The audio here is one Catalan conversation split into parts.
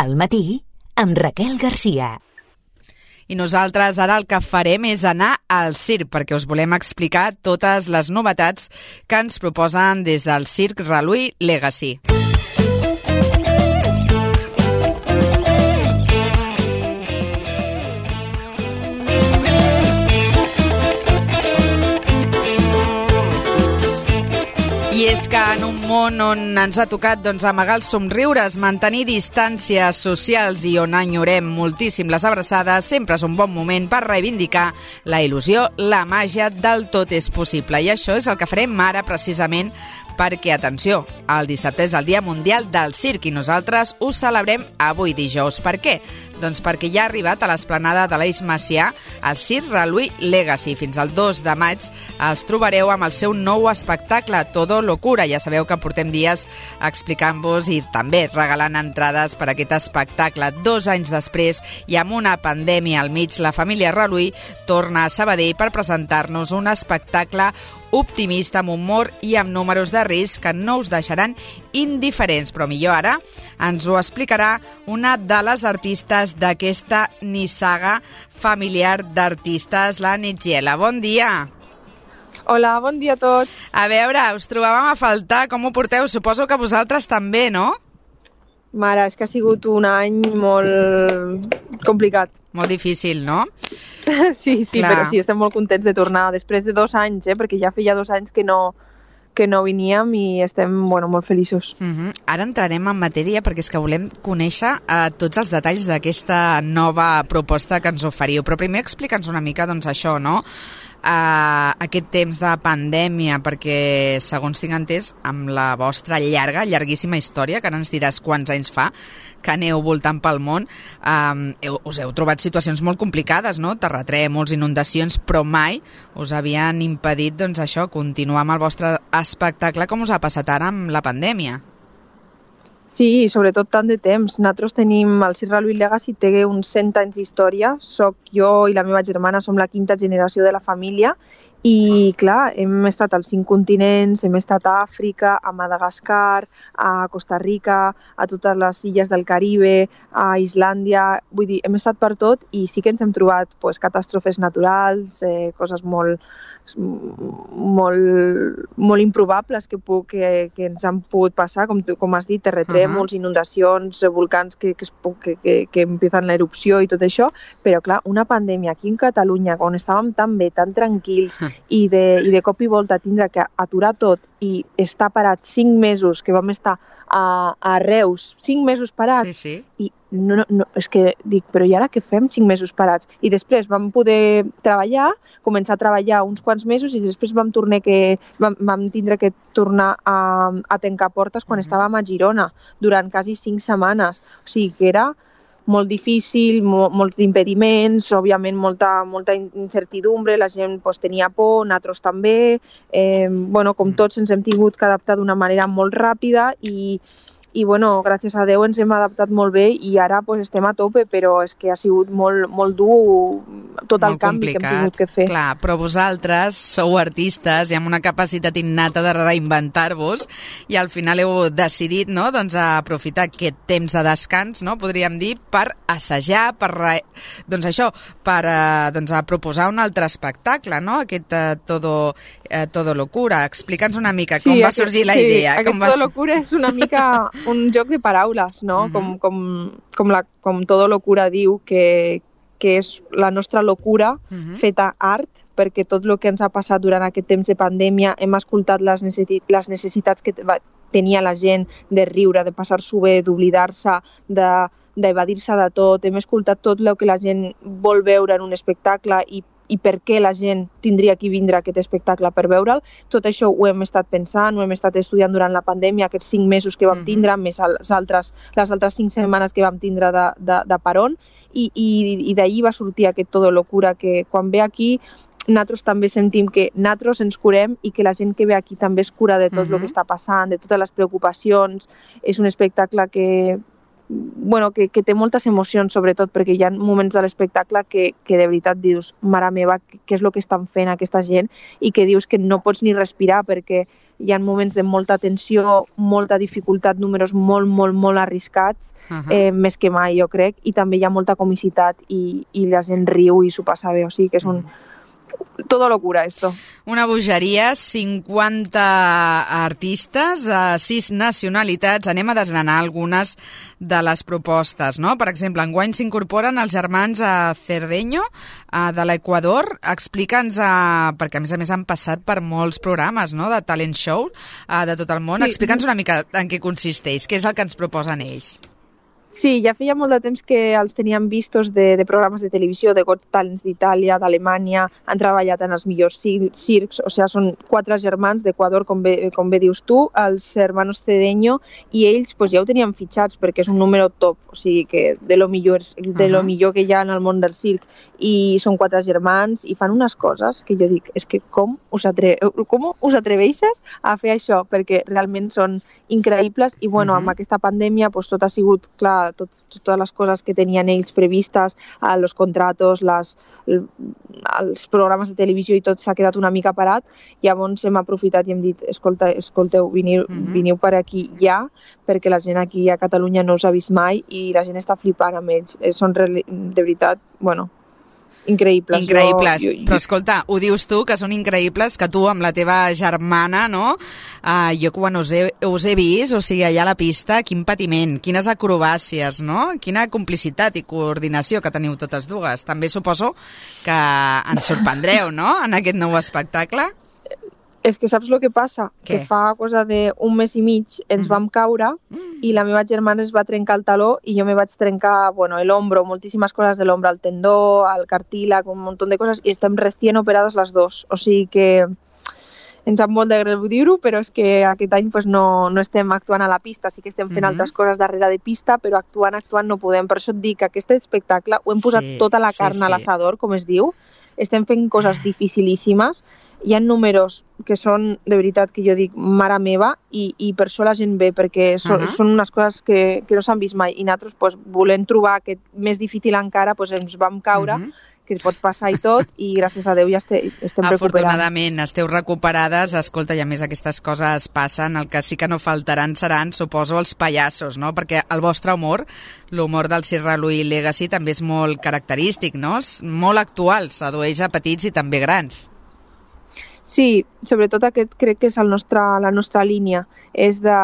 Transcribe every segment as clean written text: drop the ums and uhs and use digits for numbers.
Al matí, amb Raquel Garcia. I nosaltres ara el que farem és anar al circ, perquè us volem explicar totes les novetats que ens proposen des del Circ Reluí Legacy. I és que en un món on ens ha tocat amagar els somriures, mantenir distàncies socials i on enyorem moltíssim les abraçades, sempre és un bon moment per reivindicar la il·lusió, la màgia del tot és possible. I això és el que farem ara precisament perquè, atenció, el dissabte és el Dia Mundial del Circ i nosaltres ho celebrem avui dijous. Per què? Doncs perquè ja ha arribat a l'esplanada de l'Eix Macià el Circ Reluí Legacy. Fins al 2 de maig els trobareu amb el seu nou espectacle Todo Locura. Ja sabeu que portem dies explicant-vos i també regalant entrades per a aquest espectacle. 2 anys després i amb una pandèmia al mig, la família Reluí torna a Sabadell per presentar-nos un espectacle optimista, amb humor i amb números de risc que no us deixaran indiferents. Però millor ara ens ho explicarà una de les artistes d'aquesta nissaga familiar d'artistes, la Nitgiela. Bon dia! Hola, bon dia a tots. A veure, us trobàvem a faltar, com ho porteu? Suposo que vosaltres també, no? Mare, és que ha sigut un any molt complicat. Molt difícil, no? Sí, Clar. Però sí, estem molt contents de tornar després de 2 anys, perquè ja feia 2 anys que no veníem i estem molt feliços. Ara entrarem en matèria perquè és que volem conèixer tots els detalls d'aquesta nova proposta que ens oferiu. Però primer explica'ns una mica això, no? Aquest temps de pandèmia, perquè segons tinc entès amb la vostra llarguíssima història, que ara ens diràs quants anys fa que aneu voltant pel món, us heu trobat situacions molt complicades, no? Terratrèmols, inundacions, però mai us havien impedit continuar amb el vostre espectacle com us ha passat ara amb la pandèmia. Sí, sobretot tant de temps. Nosaltres tenim, el Circ Reluí Legacy té uns 100 anys d'història. Soc jo i la meva germana, som la 5ª generació de la família i, clar, hem estat als 5 continents, hem estat a Àfrica, a Madagascar, a Costa Rica, a totes les illes del Caribe, a Islàndia. Vull dir, hem estat per tot i sí que ens hem trobat catàstrofes naturals, coses molt improbables que ens han pogut passar, com has dit, terratrèmols, inundacions, volcans que empiezan la erupció i tot això, però clar, una pandèmia aquí en Catalunya, on estàvem tan bé, tan tranquils, i de cop i volta tindre que aturar tot i estar parats 5 mesos, que vam estar a Reus, 5 mesos parats, sí. I no, és que dic, però i ara què fem 5 mesos parats? I després vam poder començar a treballar uns quants mesos i després vam tindre que tornar a tancar portes quan estàvem a Girona durant quasi 5 setmanes. O sigui que era molt difícil, molts impediments, òbviament molta incertidumbre, la gent tenia por, nosaltres també, com tots ens hem tingut que adaptar d'una manera molt ràpida i gràcies a Déu ens hem adaptat molt bé i ara estem a tope, però és que ha sigut molt dur tot el canvi que hem tingut que fer. Clar, però vosaltres sou artistes i amb una capacitat innata de reinventar-vos i al final heu decidit, no, aprofitar aquest temps de descans, no, podríem dir, per assajar, per proposar un altre espectacle, no? Aquest Todo Locura. Explica'ns una mica com va sorgir la idea. Sí, aquest Todo Locura és una mica un joc de paraules, no? Com Todo Locura diu que és la nostra locura feta art, perquè tot el que ens ha passat durant aquest temps de pandèmia hem escoltat les necessitats que tenia la gent de riure, de passar-s'ho bé, d'oblidar-se, d'evadir-se de tot. Hem escoltat tot el que la gent vol veure en un espectacle i per què la gent tindria que vindre a aquest espectacle per veure'l. Tot això ho hem estat pensant, ho hem estat estudiant durant la pandèmia, aquests 5 mesos que vam tindre, més les altres 5 setmanes que vam tindre de paron, i d'allí va sortir aquest Todo Locura, que quan ve aquí nosaltres també sentim que nosaltres ens curem i que la gent que ve aquí també es cura de tot el que està passant, de totes les preocupacions. És un espectacle que bueno, que té moltes emocions, sobretot, perquè hi ha moments de l'espectacle que de veritat dius, mare meva, què és el que estan fent aquesta gent, i que dius que no pots ni respirar, perquè hi ha moments de molta tensió, molta dificultat, números molt, molt, molt arriscats, més que mai, jo crec, i també hi ha molta comicitat i la gent riu i s'ho passa bé, o sigui que és un... Todo locura, esto. Una bogeria, 50 artistes, 6 nacionalitats. Anem a desgranar algunes de les propostes, no? Per exemple, enguany s'incorporen els germans Cerdeño, de l'Equador. Explica'ns, perquè a més han passat per molts programes, no?, de talent show de tot el món. Sí. Explica'ns una mica en què consisteix, què és el que ens proposen ells. Sí, ja feia molt de temps que els teníem vistos de programes de televisió, de Got Talents d'Itàlia, d'Alemanya, han treballat en els millors circs, o sigui, són 4 germans d'Equador, com bé dius tu, els hermanos Cedeño, i ells pues, ja ho tenien fitxats perquè és un número top, o sigui que de lo millor que hi ha en el món del circ, i són 4 germans i fan unes coses que jo dic, és que com us atreveixes a fer això? Perquè realment són increïbles i bueno, amb aquesta pandèmia pues, tot ha sigut, clar, totes les coses que tenien ells previstes, els contratos, els programes de televisió i tot s'ha quedat una mica parat. Llavors hem aprofitat i hem dit, escolteu, veniu per aquí ja, perquè la gent aquí a Catalunya no us ha vist mai i la gent està flipant amb ells. Són de veritat, bueno, increïbles. Però escolta, ho dius tu, que són increïbles, que tu amb la teva germana, no? Jo quan us he vist, o sigui, allà a la pista, quin patiment, quines acrobàcies, no? Quina complicitat i coordinació que teniu totes dues. També suposo que ens sorprendreu, no?, en aquest nou espectacle. És que saps el que passa? Què? Que fa cosa d'un mes i mig ens vam caure i la meva germana es va trencar el taló i jo me vaig trencar, bueno, l'hombro, moltíssimes coses de l'hombro, el tendó, el cartílag, un munt de coses i estem recién operades les dos. O sigui que ens sap molt de greu dir-ho, però és que aquest any pues, no estem actuant a la pista, sí que estem fent altres coses darrere de pista, però actuant no podem. Per això et dic que aquest espectacle ho hem posat tota la carn a l'assador, com es diu. Estem fent coses dificilíssimes. Hi ha números que són, de veritat, que jo dic, mare meva, i per això la gent ve, perquè són unes coses que no s'han vist mai. I nosaltres, pues, volent trobar aquest més difícil encara, pues, ens vam caure, que pot passar i tot, i gràcies a Déu ja estem recuperant. Afortunadament, esteu recuperades. Escolta, i a més aquestes coses passen. El que sí que no faltaran seran, suposo, els pallassos, no? Perquè el vostre humor, l'humor del Cirque Louis Legacy, també és molt característic, no? És molt actual, sedueix a petits i també grans. Sí, sobretot aquest crec que és la nostra línia, és de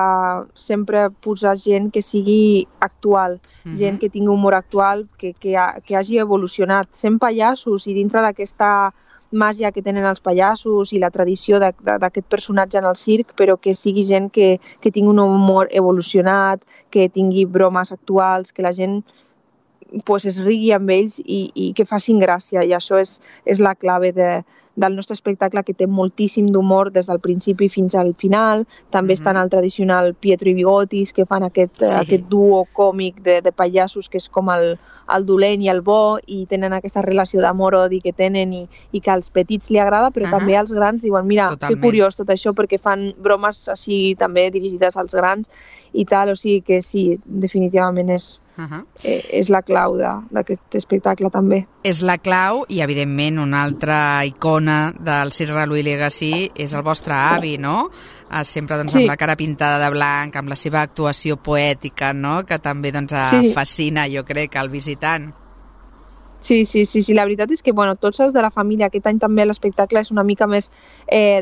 sempre posar gent que sigui actual, gent que tingui humor actual, que hagi evolucionat, sent pallassos i dintre d'aquesta màgia que tenen els pallassos i la tradició d'aquest personatge en el circ, però que sigui gent que tingui un humor evolucionat, que tingui bromes actuals, que la gent pues, es rigui amb ells i que facin gràcia, i això és la clave del nostre espectacle, que té moltíssim d'humor des del principi fins al final. També estan el tradicional Pietro i Bigotis, que fan aquest duo còmic de pallassos, que és com el dolent i el bo, i tenen aquesta relació d'amor-odi que tenen i que als petits li agrada, però també als grans diuen, mira, que curiós tot això, perquè fan bromes així també dirigides als grans i tal, o sigui que sí, definitivament és la clau d'aquest espectacle també. És la clau i, evidentment, una altra icona del Cirque Louis Legacy és el vostre avi, no? Sempre amb la cara pintada de blanc, amb la seva actuació poètica, no? Que també fascina, jo crec, al visitant. Sí, la veritat és que tots els de la família, aquest any també l'espectacle és una mica més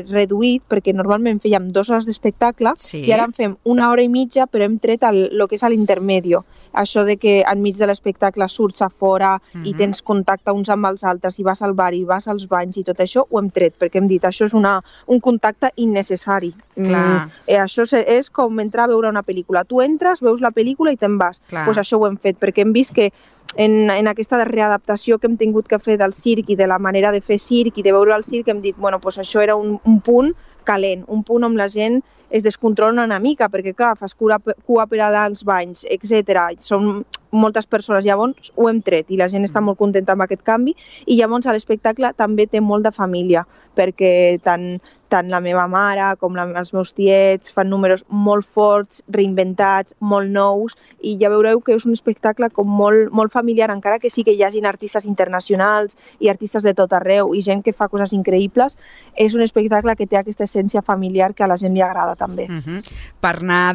reduït, perquè normalment fèiem 2 hores d'espectacle i ara en fem 1 hora i mitja, però hem tret el que és l'intermedio. Això de que enmig de l'espectacle surts a fora i tens contacte uns amb els altres i vas al bar i vas als banys i tot això, ho hem tret, perquè hem dit això és un contacte innecessari. Això és com entrar a veure una pel·lícula. Tu entres, veus la pel·lícula i te'n vas. Doncs això ho hem fet, perquè hem vist que en aquesta readaptació que hem tingut que fer del circ i de la manera de fer circ i de veure el circ, hem dit, això era un punt calent, un punt on la gent es descontrola una mica, perquè clar, fas cua per anar als banys, etc. Són moltes persones. Llavors ho hem tret i la gent està molt contenta amb aquest canvi, i llavors l'espectacle també té molt de família, perquè tant la meva mare com els meus tiets fan números molt forts, reinventats, molt nous, i ja veureu que és un espectacle com molt familiar, encara que sí que hi hagin artistes internacionals i artistes de tot arreu i gent que fa coses increïbles. És un espectacle que té aquesta essència familiar que a la gent li agrada també. Per anar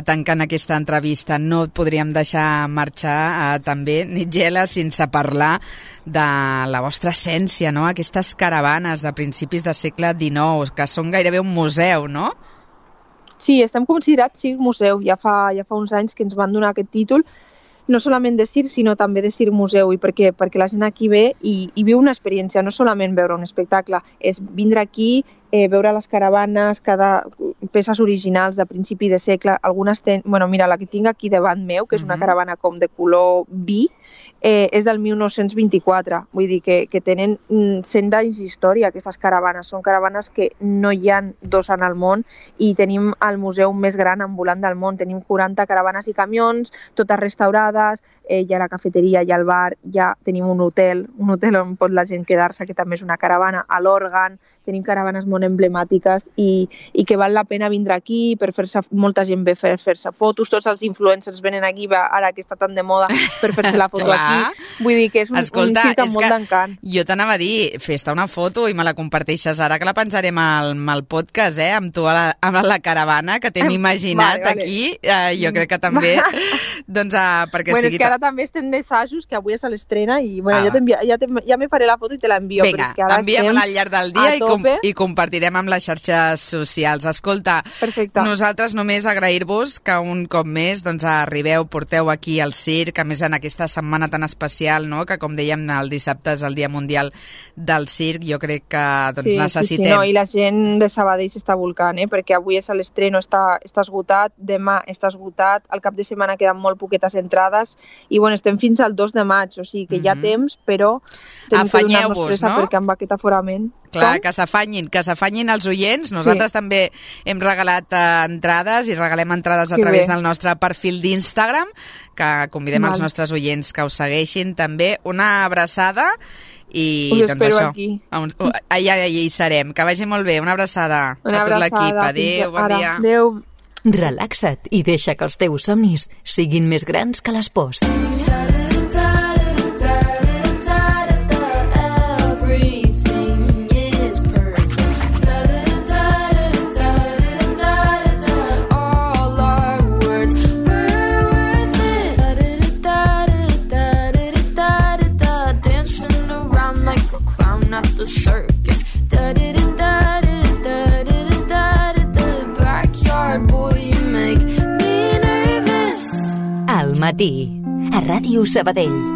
tancant aquesta entrevista, no et podríem deixar marxar també, Nigella, sense parlar de la vostra essència, no? Aquestes caravanes de principis de segle XIX, que són gairebé un museu, no? Sí, estem considerats circ museu. Ja fa uns anys que ens van donar aquest títol, no solament de circ, sinó també de circ museu. I per què? Perquè la gent aquí ve i viu una experiència, no solament veure un espectacle, és vindre aquí, veure les caravanes, peces originals de principi de segle. Algunes mira, la que tinc aquí davant meu, que és una caravana com de color vi, és del 1924. Vull dir que tenen 100 anys d'història, aquestes caravanes. Són caravanes que no hi ha dos en el món, i tenim el museu més gran ambulant del món. Tenim 40 caravanes i camions, totes restaurades, hi ha la cafeteria, hi ha el bar, ja tenim un hotel on pot la gent quedar-se, que també és una caravana, a l'òrgan. Tenim caravanes molt emblemàtiques i que val la pena vindre aquí per fer-se, molta gent ve per fer-se fotos, tots els influencers venen aquí, ara que està tan de moda, per fer-se la foto aquí. Vull dir que és un circ amb molt d'encant. Jo t'anava a dir, fes-te una foto i me la comparteixes ara, que la penjarem al podcast, amb tu amb la caravana, que t'hem imaginat aquí. Jo crec que també, perquè sigui... És que ara també estem d'assajos, que avui és a l'estrena, i ja me faré la foto i te l'envio. Vinga, envia-me-la al llarg del dia i compartirem amb les xarxes socials. Escolta, nosaltres només agrair-vos que un cop més arribeu, porteu aquí al circ, a més en aquesta setmana tan especial, no? Que com dèiem, el dissabte és el Dia Mundial del Circ. Jo crec que necessitem... Sí, i la gent de Sabadell s'està volcant, perquè avui és a l'estreno, està esgotat, demà està esgotat, al cap de setmana queden molt poquetes entrades, i estem fins al 2 de maig, o sigui que hi ha temps, però tenim que donar-nos pressa, no? Perquè amb aquest aforament... Clar, que s'afanyin els oients. Nosaltres també hem regalat entrades i regalem entrades a través del nostre perfil d'Instagram, que convidem els nostres oients que us segueixin també. Una abraçada i us espero aquí. Allà hi serem. Que vagi molt bé. Una abraçada a tot l'equip. Adéu, bon dia. Adéu. Relaxa't i deixa que els teus somnis siguin més grans que les pors. Al matí, a Ràdio Sabadell.